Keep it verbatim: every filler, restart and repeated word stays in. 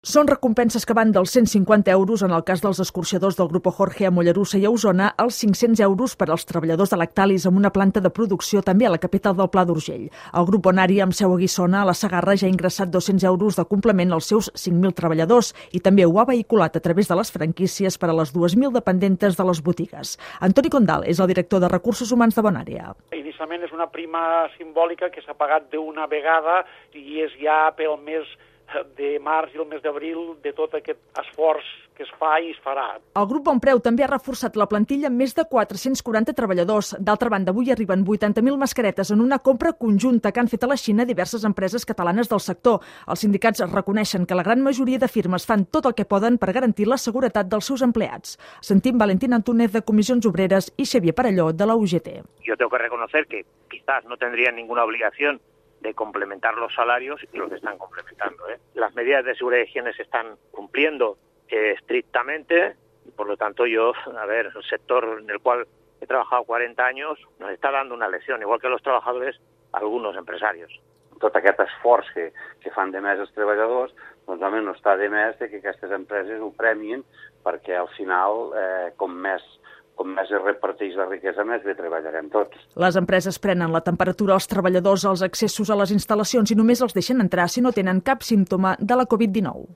Són recompenses que van dels cent cinquanta euros en el cas dels escorxadors del Grupo Jorge a Mollerussa i a Osona als cinc-cents euros per als treballadors de Lactalis amb una planta de producció també a la capital del Pla d'Urgell. El grup Bonari amb seu a Guissona, a la Segarra, ja ha ingressat dos-cents euros de complement als seus cinc mil treballadors i també ho ha vehiculat a través de les franquícies per a les dues mil dependentes de les botigues. Antoni Condal és el director de Recursos Humans de Bonària. Inicialment és una prima simbòlica que s'ha pagat d'una vegada i és ja pel mes de març i el mes d'abril de tot aquest esforç que es fa i es farà. El grup Bonpreu també ha reforçat la plantilla amb més de quatre-cents quaranta treballadors. D'altra banda, avui arriben vuitanta mil mascaretes en una compra conjunta que han fet a la Xina diverses empreses catalanes del sector. Els sindicats reconeixen que la gran majoria de firmes fan tot el que poden per garantir la seguretat dels seus empleats. Sentim Valentín Antúnez de Comissions Obreres i Xavier Parelló de la U G T. Yo tengo que reconocer que quizás no tendrían ninguna obligación de complementar los salarios y los están complementando, ¿eh? Las medidas de seguridad y higiene se están cumpliendo eh, estrictamente y por lo tanto yo, a ver, el sector en el cual he trabajado cuarenta años nos está dando una lección, igual que los trabajadores, algunos empresarios. Tot aquest esforç que, que fan de més els treballadors, doncs home, no està de més de que aquestes empreses ho premin perquè al final, eh, com més com més es reparteix la riquesa, més bé treballarem tots. Les empreses prenen la temperatura als treballadors als accessos a les instal·lacions i només els deixen entrar si no tenen cap símptoma de la covid dinou.